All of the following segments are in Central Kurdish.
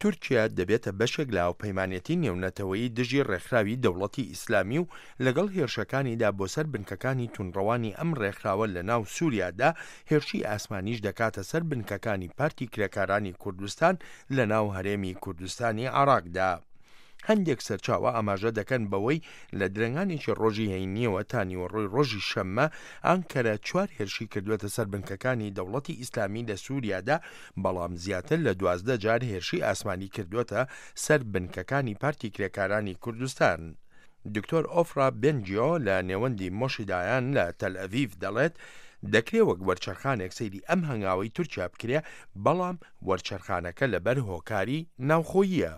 تورکیا دەبێتە بەشێک لە هاوپەیمانێتی نێونەتەوەیی دژی ڕێکخراوی دەوڵەتی ئیسلامی و لەگەڵ هێرشەکانیدا بۆ سەر بنکەکانی توندڕەوانی ئەم ڕێکخراوە لە ناو سوریادا هێرشی ئاسمانیش دەکاتە سەر بنکەکانی پارتی کرێکارانی کوردستان لە ناو هەرێمی کوردستانی عێراقدا. هەندێک سەرچاوە ئاماژە دەکەن بەوەی لە درەنگانێکی ڕۆژی هەینییەوە تا نیوەڕۆی ڕۆژی شەممە ئانکەرە چوار هێرشی کردووەتە سەر بنکەکانی دەوڵەتی ئیسلامی لە سووریادا، بەڵام زیاتر لە 12 جار هێرشی ئاسمانی کردووەتە سەر بنکەکانی پارتی کرێکارانی کوردستان. دکتۆر ئۆفرا بێنجیۆ لە نێوەندی مۆشی دایان لە تەلئەڤیڤ دەڵێت، دەکرێ وەک وەرچەرخانێک سەیری ئەم هەنگاوەی تورکیا بکرێ، بەڵام وەرچەرخانەکە لەبەر هۆکاری ناوخۆییە.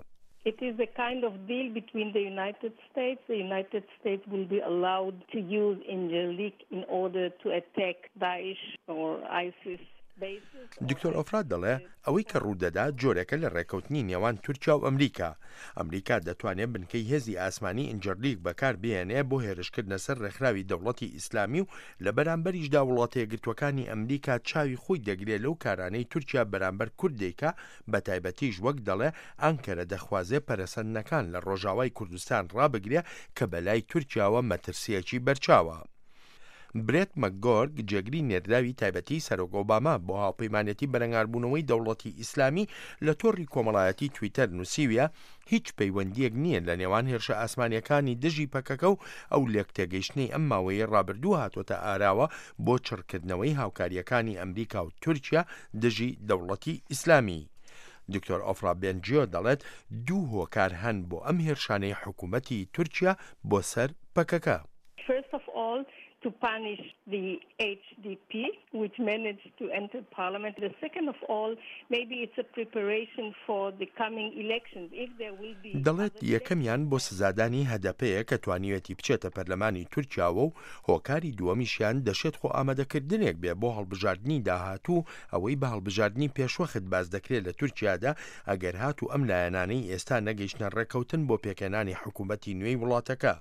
It is a kind of deal between the United States. The United States will be allowed to use Incirlik in order to attack Daesh or ISIS bases. دکتۆر ئۆفرا دەڵێ، ئەوەی کە ڕوودەدا جۆرێکە لە ڕێککەوتنی نێوان تورکیا و ئەمریکا. ئەمریکا دەتوانێ بنکەی هێزی ئاسمانی ئینجرلیک بەکار بهێنێ بۆ هێرشکردنە سەر ڕێکخراوی دەوڵەتی ئیسلامی و لە بەرامبەریشدا وڵاتەیەکگرتووەکانی ئەمریکا چاوی خۆی دەگرێ لەو کارانەی تورکیا بەرامبەر کورد دەیکا بەتایبەتیش وەک دەڵێ ئانکەرە دەخوازێ پەرەسەندنەکان لە ڕۆژاوای کوردستان ڕابگرێ کە بەلای تورکیاوە مەترسییەکی بەرچاوە. برێت مەکگۆرگ جێگری نێردراوی تایبەتی سەرۆک ئۆباما بۆ هاوپەیمانێتی بەرەنگاربوونەوەی دەوڵەتی ئیسلامی لە تۆڕی کۆمەڵایەتی تویتەر نووسیویە هیچ پەیوەندییەک نییە لە نێوان هێرشە ئاسمانییەکانی دژی پەکەکە و ئەو لێکتێگەیشتنەی ئەم ماوەیەی ڕابردوو هاتۆتە ئاراوە بۆ چڕکردنەوەی هاوکارییەکانی ئەمریکا و تورکیا دژی دەوڵەتی ئیسلامی. دکتۆر ئۆفرا بێنجیۆ دەڵێت دوو هۆکار هەن بۆ ئەم هێرشانەی حکوومەتی تورکیا بۆ سەر پەکەکە. First of all to punish the HDP which managed to enter parliament. The second of all maybe it's a preparation for the coming elections if there will be دەڵێت یەکەمیان بۆ سزادانی هەدەپەیە کە توانیویەتی بچێتە پەرلەمانی تورکیاوە و هۆکاری دووەمیشیان دەشێت خۆئامادەکردنێک بێ بۆ هەڵبژاردنی داهاتوو، ئەوەی بە هەڵبژاردنی پێشوەخت باس دەکرێ لە تورکیادا، ئەگەر هاتوو ئەم لایەنانەی ئێستا نەگەیشتنە ڕێککەوتن بۆ پێکهێنانی حکوومەتی نوێی وڵاتەکە.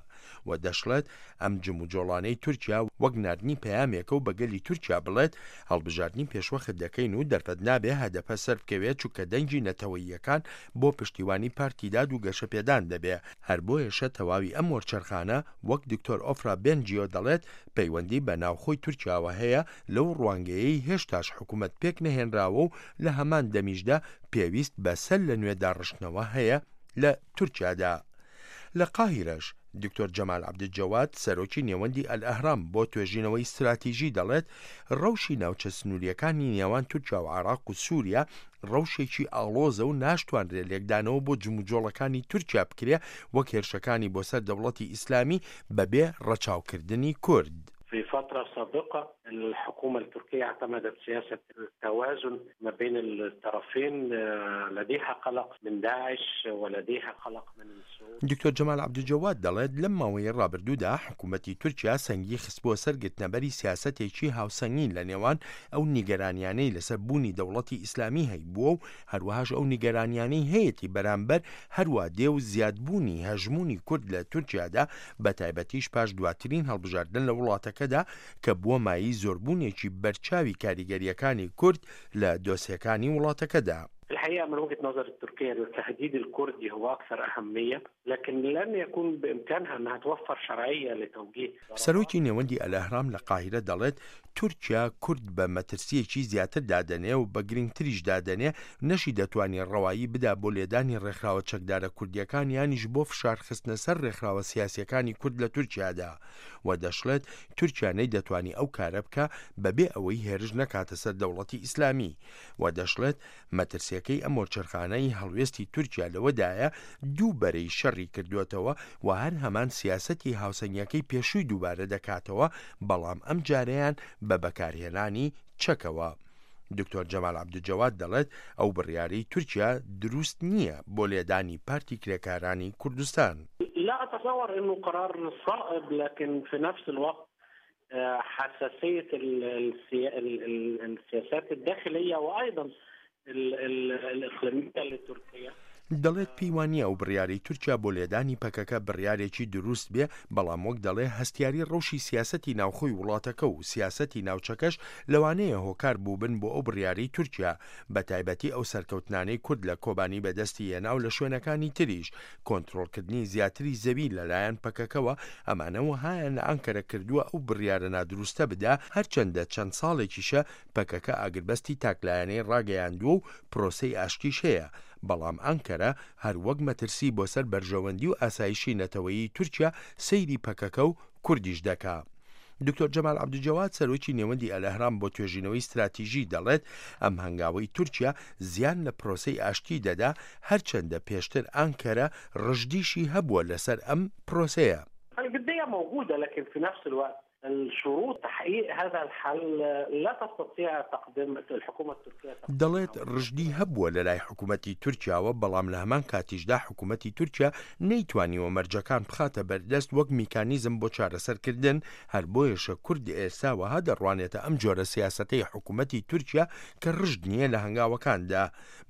و دەشڵێت، ئەم جموجۆڵانەی تورکیا وەک ناردنی پەیامێکە و بە گەلی تورکیا بڵێت، هەڵبژاردنی پێشوەخت دەکەین و دەرفەت نابێ هەدەپە سەربکەوێت چونکە دەنگی نەتەوەییەکان بۆ پشتیوانی پارتی داد و گەشەپێدان دەبێ، هەر بۆیەشە تەواوی ئەم وەرچەرخانە وەک دکتۆر ئۆفرا بێنجیۆ دەڵێت پەیوەندی بە ناوخۆی تورکیاوە هەیە لەو ڕوانگەیەی هێشتاش حکومەت پێک نەهێنراوە و لە هەمان دەمیشدا پێویست بە سەر لە نوێ داڕشتنەوە هەیە لە تورکیادا. لە قاهیرەش، دکتۆر جەمال عەبدولجەواد، سەرۆکی نێوەندی ئەلئەهرام بۆ توێژینەوەی ستراتیژی دەڵێت، ڕەوشی ناوچە سنوورییەکانی نێوان تورکیا و عێراق و سووریا ڕەوشێکی ئاڵۆزە و ناشتوانرێ لێکدانەوە بۆ جموجۆڵەکانی تورکیا بکرێ وەک هێرشەکانی بۆ سەر دەوڵەتی ئیسلامی بەبێ ڕەچاوکردنی کورد. في فترة سابقة الحكومة التركية اعتمدت سياسة التوازن ما بين الطرفين لديها قلق من داعش ولديها قلق من السعود. دکتۆر جەمال عەبدولجەواد دەڵێت، لەم ماوەیەی ڕابردوودا حکوومەتی تورکیا سەنگی خستبووە سەر گرتنەبەری سیاسەتێکی هاوسەنگی لە نێوان ئەو نیگەرانیانەی لەسەر بوونی دەوڵەتی ئیسلامی هەیبووە و هەروەهاش ئەو نیگەرانیانەی هەیەتی بەرامبەر هەروا دێ و زیادبوونی هەژموونی کورد لە تورکیادا بەتایبەتیش پاش دواترین هەڵبژاردن لە وڵاتەکەدا کە بووە مایەی زۆربوونێکی بەرچاوی کاریگەرییەکانی کورد لە دۆسێکانی وڵاتەکەدا. الحقيقة من وجهة نظر التركية التهديد الكردي هو أكثر أهمية لكن لن يكون بإمكانها أنها توفر شرعية لتوجيه سەرۆکی نێوەندی ئەلئەهرام لە قاهیرە دەڵێت، تورکیا کورد بە مەترسییەکی زیاتر دادەنێ و بە گرنگتریش دادەنێ، نەشی دەتوانی ڕەوایی بدا بۆ لێدانی ڕێکخراوە چەکدارە کوردییەکان یانیش بۆ فشارخستنە سەر ڕێکخراوە سیاسییەکانی کورد لە تورکیادا. و دەشڵێت، تورکیا نەیدەتوانی ئەو کارە بکا بەبێ ئەوەی هێرش نەکاتە سەر دەوڵەتی ئیسلامی. و دەشڵێت، مەترسیەکەی ئەم وەرچەرخانەی هەڵوێستی تورکیا لەوەدایە دوو بەرەی شەڕی کردووەتەوە و هەر هەمان سیاسەتی هاوسەنگیەکەی پێشووی دووبارە دەکاتەوە، بەڵام ئەمجارەیان بە بەکارهێنانی چەکەوە. دکتۆر جەمال عەبدولجەواد دەڵێت، ئەو بڕیارەی تورکیا دروست نییە بۆ لێدانی پارتی کرێکارانی کوردستان. لا أتصور أنه قرار صائب لكن في نفس الوقت حساسية السياسات الداخلية وأيضا الإقليمية لتركيا. دەڵێت پێی وانییە ئەو بڕیارەی تورکیا بۆ لێدانی پەکەکە بڕیارێکی دروست بێ، بەڵام وەک دەڵێ هەستیاری ڕەوشی سیاسەتی ناوخۆی وڵاتەکە و سیاسەتی ناوچەکەش لەوانەیە هۆکار بووبن بۆ ئەو بڕیارەی تورکیا، بەتایبەتی ئەو سەرکەوتنانەی کورد لە کۆبانی بەدەستی هێنا و لە شوێنەکانی تریش کۆنترۆڵکردنی زیاتری زەوی لەلایەن پەکەکەوە، ئەمانە وەهایان لە ئانکەرە کردووە ئەو بڕیارە نادروستە بدا، هەرچەندە چەند ساڵێکیشە پەکەکە ئاگربەستی تاکلایەنەی ڕاگەیاندووە و پرۆسەی ئاشتیش هەیە، بەڵام ئانکەرە هەر وەک مەترسی بۆ سەر بەرژەوەندی و ئاسایشی نەتەوەیی تورکیا سەیری پەکەکە و کوردیش دەکا. دکتۆر جەمال عەبدولجەواد سەرۆکی نێوەندی ئەلئەهرام بۆ توێژینەوەی ستراتیژی دەڵێت ئەم هەنگاوەی تورکیا زیان لە پرۆسەی ئاشتی دەدا هەرچەندە پێشتر ئانکەرە ڕژدیشی هەبووە لەسەر ئەم پرۆسەیە. الجدية موجودة لكن في نفس الوقت الشروط تحقيق هذا الحل لا تستطيع تقديم الحكومة التركية دەڵێت ڕژدی هەبووە لەلای حکوومەتی تورکیاوە، بەڵام لە هەمان کاتیشدا حکوومەتی تورکیا نەیتوانیوە مەرجەکان بخاتە بەردەست وەک میکانیزم بۆ چارەسەرکردن، هەر بۆیەشە کورد ئێستا وەها دەڕوانێتە ئەم جۆرە سیاسەتەی حکوومەتی تورکیا کە ڕژد نییە لە هەنگاوەکاندا،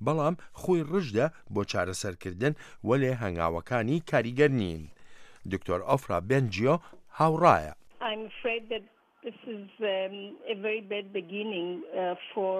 بەڵام خۆی ڕژدە بۆ چارەسەرکردن، وەلێ هەنگاوەکانی کاریگەر نین. دکتۆر ئۆفرا بێنجیۆ هاوڕایە. I'm afraid that this is a very bad beginning for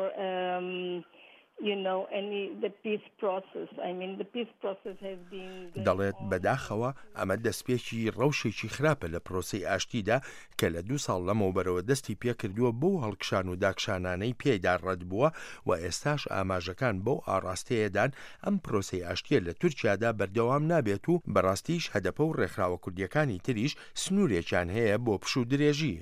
you know any the peace process. I mean the peace process has been going دەڵێت on. بەداخەوە ئەمە دەستپێکی ڕەوشێکی خراپە لە پرۆسەی ئاشتیدا کە لە دوو ساڵ لەمەوبەرەوە دەستی پێکردووە بەو هەڵکشان و داکشانانەی پێیدا ڕەتبووە و ئێستاش ئاماژەکان بەو ئاڕاستەیەدان ئەم پرۆسەی ئاشتییە لە تورکیادا بەردەوام نابێت و بەڕاستیش هەدەپە و ڕێکخراوە کوردییەکانی تریش سنوورێکیان هەیە بۆ پشوو درێژی.